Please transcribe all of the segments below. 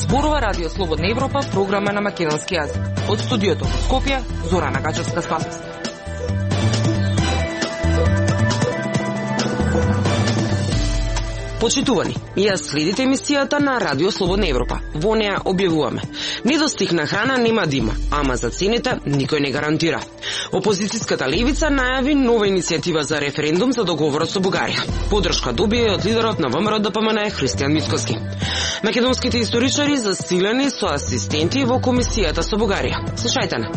Зборува Радио Слободна Европа, програма на македонски јазик. Од студиото во Скопје, Зорана Гачевска-Спасовска. Почитувани, ја следите емисијата на Радио Слободна Европа. Во неа објавуваме: недостиг на храна нема да има, ама за цените никој не гарантира. Опозицијската левица најави нова иницијатива за референдум за договорот со Бугарија. Подршка добие од лидерот на ВМРО-ДПМН Христијан Мицкоски. Македонските историчари засилени со асистенти во комисијата со Бугарија. Слушајте на.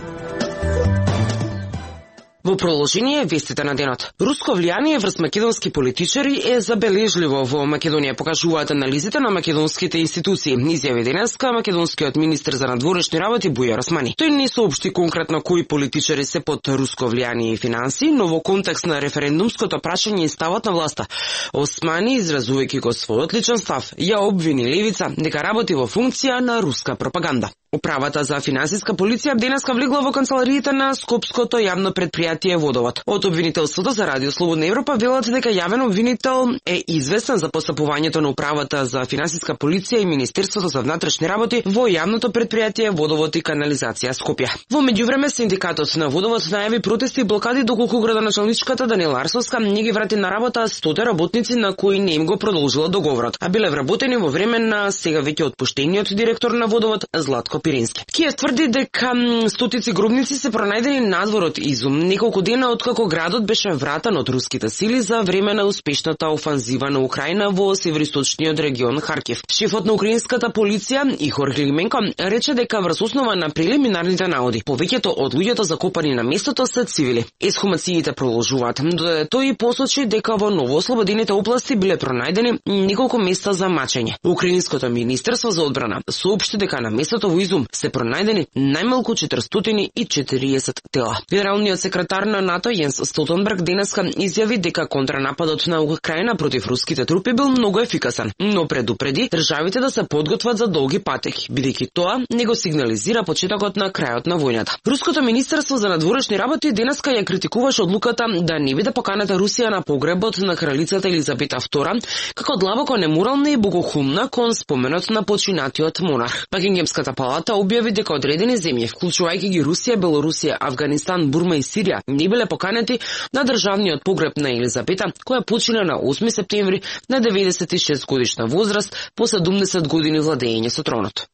Во продолжение вестите на денот. Руско влијание врз македонски политичари е забележливо во Македонија, покажуваат анализите на македонските институции. Изјави денеска македонскиот министер за надворешни работи Бујар Османи. Тој не соопшти конкретно кои политичари се под руско влијание и финанси, но во контекст на референдумското прашање и ставот на власта, Османи, изразувајќи го својот личен став, ја обвини левица дека работи во функција на руска пропаганда. Управата за финансиска полиција денеска влегла во канцелариите на Скопското јавно предпријатие Водовод. Од обвинителството за Радио Слободна Европа велат дека јавен обвинител е известен за постапувањето на Управата за финансиска полиција и Министерството за внатрешни работи во јавното предпријатие Водовод и канализација Скопје. Во меѓувреме синдикатот на Водовод најави протести и блокади доколку градоначалничката Даниела Арсовска не ги врати на работа 100 работници на кои не им го продолжила договорот, а биле вработени во време на сега веќе отпуштениот директор на Водовод Златко Пирински. Киев тврди дека стотици гробници се пронајдени надвор од Изум, неколку дена откако градот беше вратан од руските сили за време на успешната офанзива на Украина во североисточниот регион Харкив. Шефот на украинската полиција Ихор Клименко рече дека врз основа на прелиминарните наоди повеќето од луѓето закопани на местото се цивили. Ексхумациите продолжуваат, додека тој посочи дека во новоослободените области биле пронајдени неколку места за мачење. Украинското министерство за одбрана соопшти дека на местото во Изум се пронајдени најмалку 440 тела. Генералниот секретар на НАТО Јенс Столтенберг денеска изјави дека контранападот на Украина против руските трупи бил многу ефикасен, но предупреди државите да се подготват за долги патеки, бидејќи тоа не го сигнализира почетокот на крајот на војната. Руското министерство за надворешни работи денеска ја критикуваше одлуката да не биде поканата Русија на погребот на кралицата Елизабета II како длабоко неморална и богохумна кон споменот на починатиот монарх. Бакингемската палата објави дека одредени земји, вклучувајќи ги Русија, Белорусија, Авганистан, Бурма и Сирија, не биле поканети на државниот погреб на Елизабета, која почина на 8 септември на 96 годишна возраст по 70 години владење со тронот.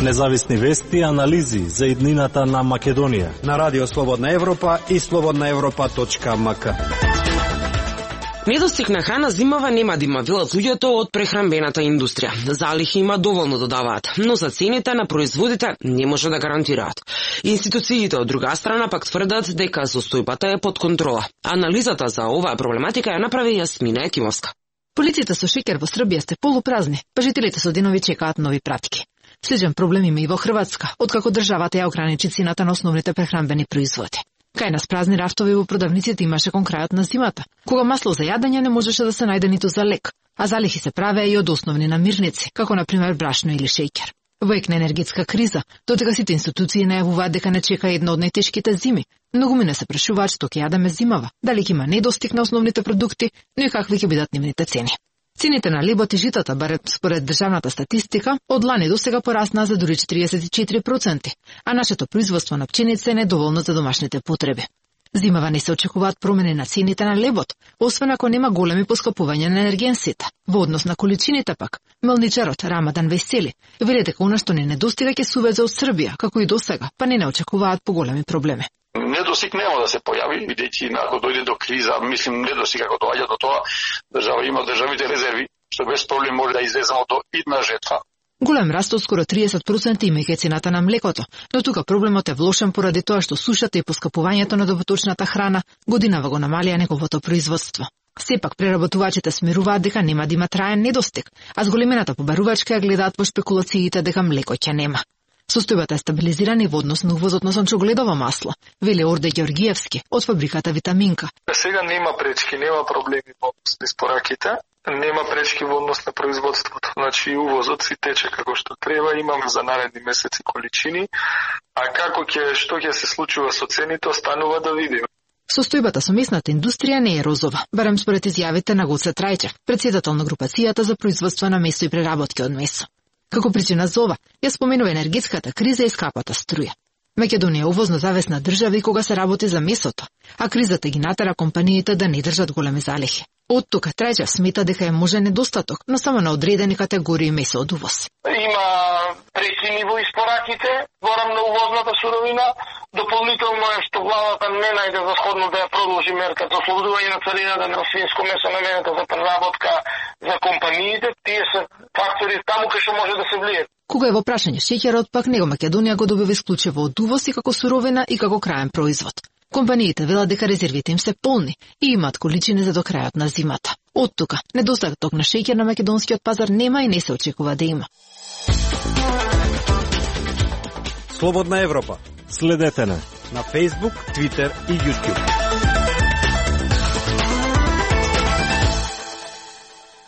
Независни вести и анализи за иднината на Македонија на Радио Слободна Европа и slobodnaevropa.mk. Недостиг на храна зимава нема да има, велат луѓето од прехранбената индустрија. Залихи има доволно додаваат, но за цените на производите не може да гарантираат. Институциите од друга страна пак тврдат дека состојбата е под контрола. Анализата за оваа проблематика ја направи Јасмина Екимовска. Полиците со шеќер во Србија сте полупразни, па жителите со денови чекаат нови пратки. Сличен проблем има и во Хрватска, откако државата ја ограничи цената на основните прехранбени производи. Кај нас празни рафтови во продавниците имаше кон крајот на зимата, кога масло за јадење не можеше да се најде ниту за лек, а залихи се правеа и од основни намирници, како на пример брашно или шеќер. Во ек на енергетска криза, додека сите институции најавуваат дека не чека една од најтешките зими, многумина се прашуваат што ќе јадеме зимава, дали ќе има недостиг на основните продукти, но и какви ќе бидат нивните цени. Цените на лебот и житата, барем според државната статистика, од лани до сега пораснаа за дури 44%, а нашето производство на пченица е недоволно за домашните потреби. Зимава не се очекуваат промени на цените на лебот, освен ако нема големи поскапувања на енергенсите. Во однос на количините пак, мелничарот Рамадан Весели вели дека она што не недостига ќе се увезе од Србија, како и досега, па не очекуваат поголеми проблеми. Недостиг нема да се појави, бидејќи ако дојде до криза, мислим недостиг ако доаѓа до тоа, држава има државните резерви, што без проблем може да излеземо до идна жетва. Голем раст од скоро 30% имајќи цената на млекото, но тука проблемот е влошен поради тоа што сушата и поскапувањето на доброточната храна годинава го намалија неговото производство. Сепак преработувачите смируваат дека нема да има траен недостиг, а зголемената побарувачка ја гледаат во шпекулациите дека млеко ќе нема. Состојбата е стабилизирана и во однос на увозот на сончогледово масло, вели Орде Ѓоргиевски од фабриката Витаминка. Сега нема пречки, нема проблеми во испораките, нема пречки во однос на производството. Значи увозот си тече како што треба, имаме за наредни месеци количини, а што ќе се случува со цените, останува да видиме. Состојбата со месната индустрија не е розова, барем според изјавите на Гоце Трајчев, председател на групацијата за производство на месо и преработки од месо. Како причина за ова, ја споменува енергетската криза и скапата струја. Македонија е увозно завесна држава и кога се работи за месото, а кризата ги натера компаниите да не држат големи залихи. Од тука Трајчев смета дека е можен недостаток, но само на одредени категории месо од увоз. Има пресини во испораките, зборам на увозната суровина, дополнително е што владата не најде за сходно да ја продолжи мерка за ослободување на царината на свинско месо наменето за преработка за компаниите. Тие се фактори таму кај што може да се влијат. Кога е во прашање шеќерот, пак него Македонија го добива исклучиво од увоз и како суровина и како краен производ. Компаниите велат дека резервите им се полни и имаат количини за до крајот на зимата. Од тука, недостаток на шеќер на македонскиот пазар нема и не се очекува да има. Слободна Европа. Следете на Facebook, Twitter и YouTube.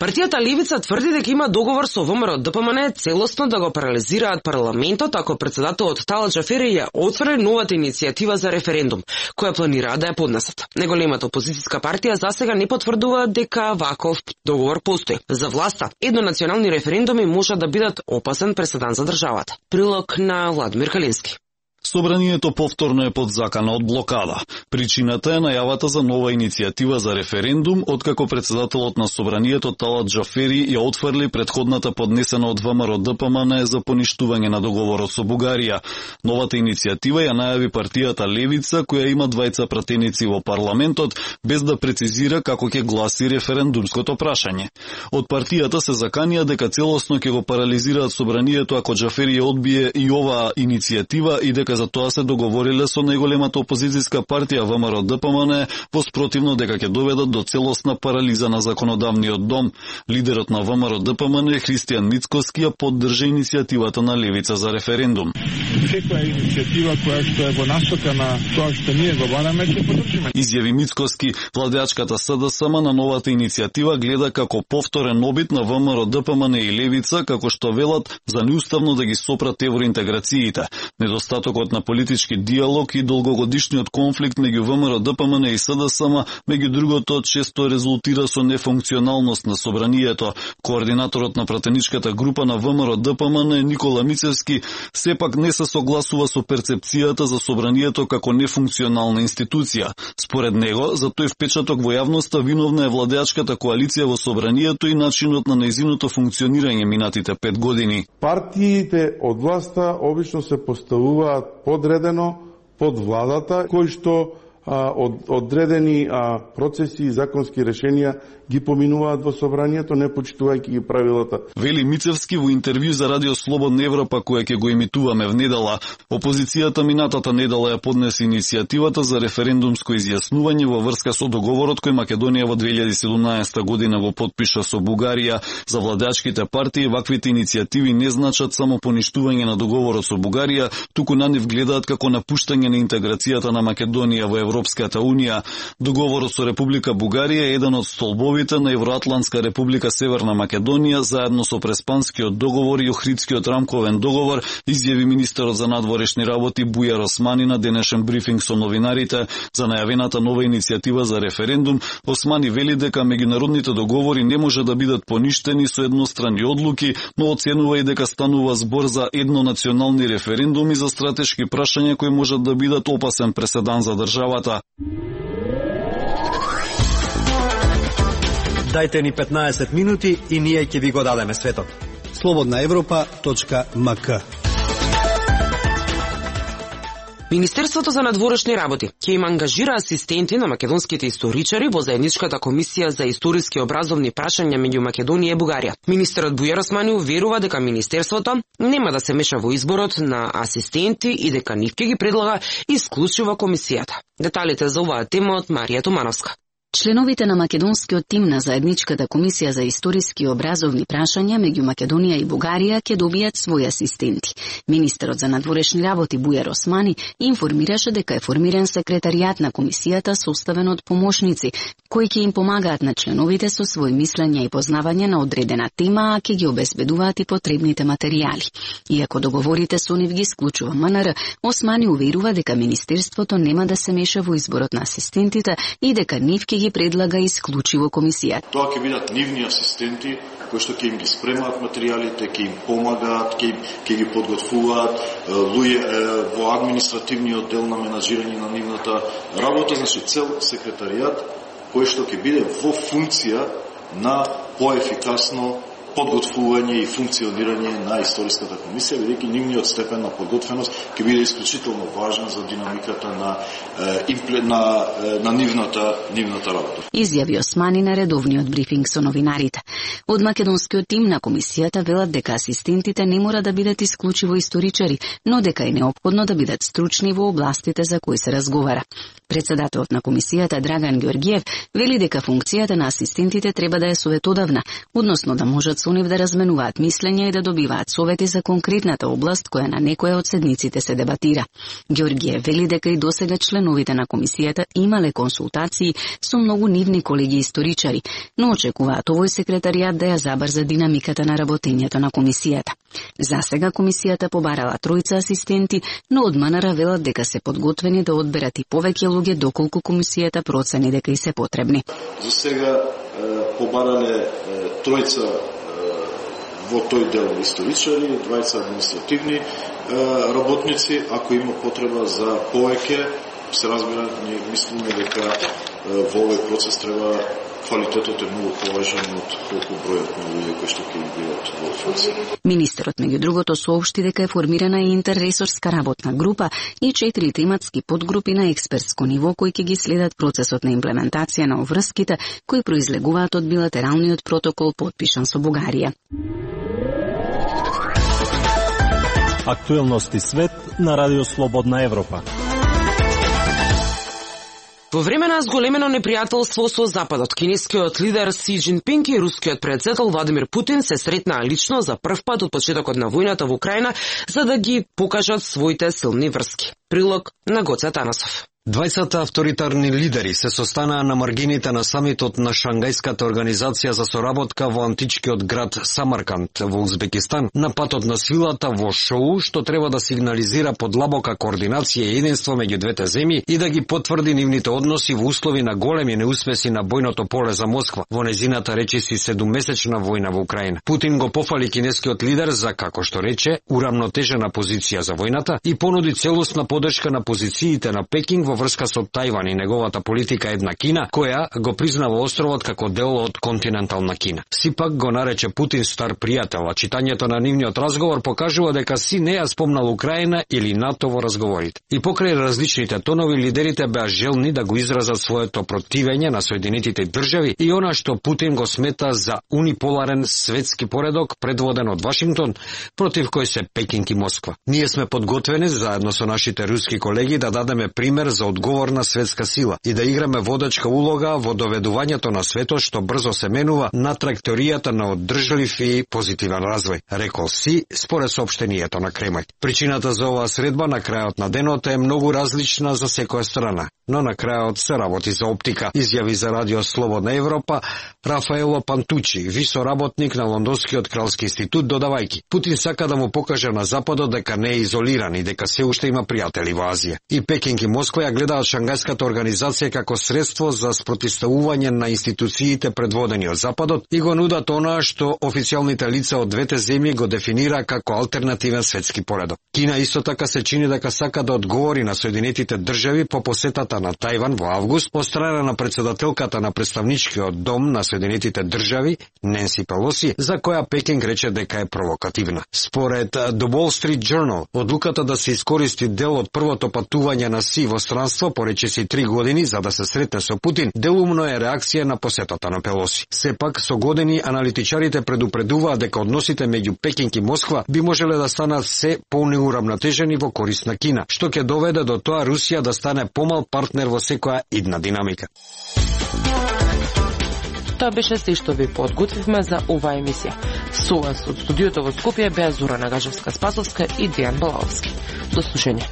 Партијата Левица тврди дека има договор со ВМРО-ДПМН целосно да го парализираат парламентот ако председателот Талат Џафери ја отфрли новата иницијатива за референдум, која планираат да ја поднесат. Неголемата опозицијска партија засега не потврдува дека ваков договор постои. За власта, еднонационални референдуми можат да бидат опасен преседан за државата. Прилог на Владимир Калински. Собранието повторно е под закана од блокада. Причината е најавата за нова иницијатива за референдум, откако председателот на Собранието Талат Џафери ја отфрли предходната поднесена од ВМРО-ДПМН за поништување на договорот со Бугарија. Новата иницијатива ја најави партијата Левица, која има двајца пратеници во парламентот, без да прецизира како ќе гласи референдумското прашање. Од партијата се заканија дека целосно ќе го парализираат Собранието ако Џафери ја одбие и оваа иницијатива и дека за тоа се договориле со најголемата опозицијска партија ВМРО-ДПМН, воспротивно дека ќе доведат до целосна парализа на законодавниот дом. Лидерот на ВМРО-ДПМН Христијан Мицкоски ја поддржа иницијативата на Левица за референдум. Секоја иницијатива која што е во насока на тоа што ние го бараме, ќе поддржиме. Изјави Мицкоски, владеачката СДСМ на новата иницијатива гледа како повторен обид на ВМРО-ДПМН и Левица, како што велат за неуставно да ги сопрат евроинтеграциите. Недостатокот на политички диалог и долгогодишниот конфликт меѓу ВМРО-ДПМН и СДСМ, меѓу другото, често резултира со нефункционалност на Собранието. Координаторот на пратеничката група на ВМРО-ДПМН Никола Мицевски сепак не се согласува со перцепцијата за Собранието како нефункционална институција. Според него, за тој впечаток во јавноста виновна е владеачката коалиција во Собранието и начинот на нејзиното функционирање минатите 5 години. Партиите од власта обично се поставуваат подредено под владата, кои што одредени процеси и законски решенија ги поминуваат во собранието, не почитувајќи ги правилата. Вели Мицевски во интервју за Радио Слободна Европа, која ќе го емитуваме в недела. Опозицијата минатата недела ја поднесе иницијативата за референдумско изјаснување во врска со договорот кој Македонија во 2017 година го подпиша со Бугарија. За владеачките партии ваквите иницијативи не значат само поништување на договорот со Бугарија, туку на нив гледаат како напуштање на интеграцијата на Македонија во Европската Унија. Договорот со Република Бугарија е еден од столбовите на Евроатлантска република Северна Македонија, заедно со Преспанскиот договор и Охридскиот рамковен договор, изјави министерот за надворешни работи Бујар Османи на денешен брифинг со новинарите за најавената нова иницијатива за референдум. Османи вели дека меѓународните договори не може да бидат поништени со едностранни одлуки, но оценува и дека станува збор за еднонационални референдуми за стратешки прашања кои можат да бидат опасен преседан за државата. Дајте ни 15 минути и ние ќе ви го дадеме светот. slobodnaevropa.mk. Министерството за надворешни работи ќе им ангажира асистенти на македонските историчари во заедничката комисија за историски образовни прашања меѓу Македонија и Бугарија. Министерот Бујар Османи уверува дека министерството нема да се меша во изборот на асистенти и дека нив ќе ги предлага исклучиво комисијата. Деталите за оваа тема од Марија Томановска. Членовите на македонскиот тим на заедничката комисија за историски и образовни прашања меѓу Македонија и Бугарија ќе добијат своји асистенти. Министерот за надворешни работи Бујар Османи информираше дека е формиран секретаријат на комисијата составен од помошници, кои ќе им помагаат на членовите со своји мислења и познавање на одредена тема, а ќе ги обезбедуваат и потребните материјали. Иако договорите со нив ги исклучува МНР, Османи уверува дека Министерството нема да се меша во изборот на асистентите и дека нив ќе ги предлага исклучиво комисијата. Тоа ќе бидат нивни асистенти кои што ќе им ги спремаат материјалите, ќе им помагаат, ќе ги подготвуваат луѓе во административниот дел на менаџирање на нивната работа, значи цел секретаријат кој што ќе биде во функција на поефикасно подготвување и функционирање на историската комисија, бидејќи нивниот степен на подготвеност ќе биде исклучително важен за динамиката на нивната работа. Изјави Османи на редовниот брифинг со новинарите. Од македонскиот тим на комисијата велат дека асистентите не мора да бидат исклучиво историчари, но дека е неопходно да бидат стручни во областите за кои се разговара. Председателот на комисијата Драган Георгиев вели дека функцијата на асистентите треба да е советодавна, односно да можат со нив да разменуваат мислења и да добиваат совети за конкретната област која на некоја од седниците се дебатира. Георгиев вели дека и досега членовите на комисијата имале консултации со многу нивни колеги историчари, но очекуваат овој секретаријат да ја забрза динамиката на работењето на комисијата. Засега комисијата побарала 3 асистенти, но од МНР велат дека се подготвени да одберат и повеќе луѓе доколку комисијата процени дека и се потребни. За сега побарале 3 во тој дел историчари, 20 административни работници. Ако има потреба за повеќе, се разбира, ние мислиме дека во овој процес треба квалитетот е многу поважен од колку бројот на луѓе кои што ќе бидат во функција. Министерот меѓу другото соопшти дека е формирана и интерресорска работна група и 4 тематски подгрупи на експертско ниво кои ќе ги следат процесот на имплементација на обврските кои произлегуваат од билатералниот протокол подпишан со Бугарија. Актуелности свет на Радио Слободна Европа. Во време на зголемено непријателство со Западот, кинескиот лидер Си Џинпинг и рускиот председател Владимир Путин се сретнаа лично за прв пат од почетокот на војната во Украина за да ги покажат своите силни врски. Прилог на Гоце Танасов. 20 авторитарни лидери се состанаа на маргините на самитот на Шангајската организација за соработка во античкиот град Самарканд во Узбекистан на патот на силата во шоу што треба да сигнализира подлабока координација и единство меѓу двете земји и да ги потврди нивните односи во услови на големи неуспеси на бојното поле за Москва во незината речиси 7-месечна војна во Украина. Путин го пофали кинескиот лидер за, како што рече, урамнотежена позиција за војната и понуди целосна поддршка на позициите на Пекинг во врска со Тајван и неговата политика една Кина, која го признава островот како дел од континентална Кина. Сипак го нарече Путин стар пријател, а читањето на нивниот разговор покажува дека Си не ја спомнал Украина или НАТО во разговорите. И покрај различните тонови, лидерите беа желни да го изразат своето противење на Соединетите држави и она што Путин го смета за униполарен светски поредок предводен од Вашингтон, против кој се Пекинг и Москва. Ние сме подготвени заедно со нашите руски колеги да дадеме пример за одговорна светска сила и да играме водачка улога во доведувањето на светот што брзо се менува на траекторијата на одржлив и позитивен развој, рекол Си според соопштението на Кремљ. Причината за оваа средба на крајот на денот е многу различна за секоја страна, но на крајот се работи за оптика, изјави за Радио Слободна Европа Рафаело Пантучи, висоработник на Лондонскиот кралски институт, додавајќи: Путин сака да му покаже на Западот дека не е изолиран и дека се уште има пријатели во Азија. И Пекинг и Москва ја гледаат Шангајската организација како средство за спротивставување на институциите предводени од Западот и го нудат онаа што официјалните лица од двете земји го дефинира како алтернативен светски поредок. Кина исто така се чини дека сака да одговори на Соединетите држави по посетата на Тајван во август од страна на председателката на представничкиот дом на Соединетите држави Ненси Пелоси, за која Пекинг рече дека е провокативна. Според The Wall Street Journal, одлуката да се искористи дел од првото патување на Си во странство поречиси 3 години за да се сретне со Путин, делумно е реакција на посетата на Пелоси. Сепак, со години аналитичарите предупредуваат дека односите меѓу Пекинг и Москва би можеле да станат се понеурамнотежени во корист на Кина, што ќе доведе до тоа Русија да стане помал партнер во секоја идна динамика. Тоа беше се што ви подготвивме за оваа емисија. Со вас од студиото во Скопје беа Зора Нагажевска-Спасовска и Дејан Балаовски. До слушање.